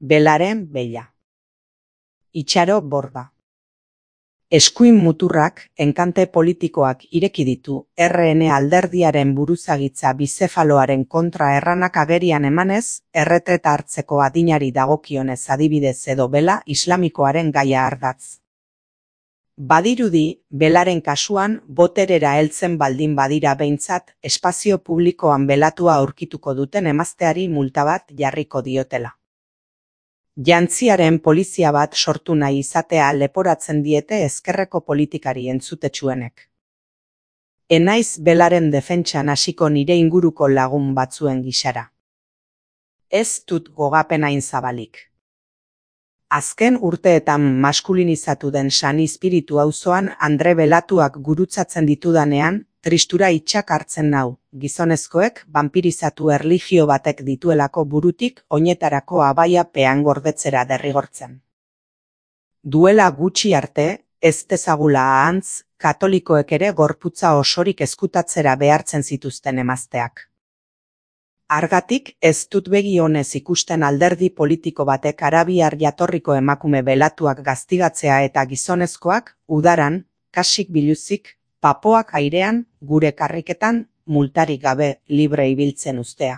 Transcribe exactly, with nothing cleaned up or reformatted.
Belaren beila. Itxaro borda. Eskuin muturrak enkante politikoak ireki ditu R N alderdiaren buruzagitza bizefaloaren kontra erranak agerian emanez, erretreta hartzeko adinari dagokionez adibidez edo bela islamikoaren gaia ardatz. Badirudi, belaren kasuan, boterera heltzen baldin badira behintzat, espazio publikoan belatua aurkituko duten emazteari multa bat jarriko diotela. Jantziaren polizia bat sortu nahi izatea leporatzen diete ezkerreko politikari entzutetsuenek. Enaiz belaren defentsan hasiko nire inguruko lagun batzuen gisara. Ez dut gogapenain zabalik. Azken urteetan maskulinizatu den San Izpiritu auzoan Andre belatuak gurutzatzen ditudanean, tristura itxak hartzen nau, gizonezkoek banpirizatu erlijio batek dituelako burutik oinetarako abaia pean gordetzera derrigortzen. Duela gutxi arte, ez dezagula ahantz, katolikoek ere gorputza osorik ezkutatzera behartzen zituzten emazteak. Argatik ez dut begi onez ikusten alderdi politiko batek arabiar jatorriko emakume belatuak gaztigatzea eta gizonezkoak, udaran, kasik biluzik, papoak airean, gure karriketan, multarik gabe libre ibiltzen ustea.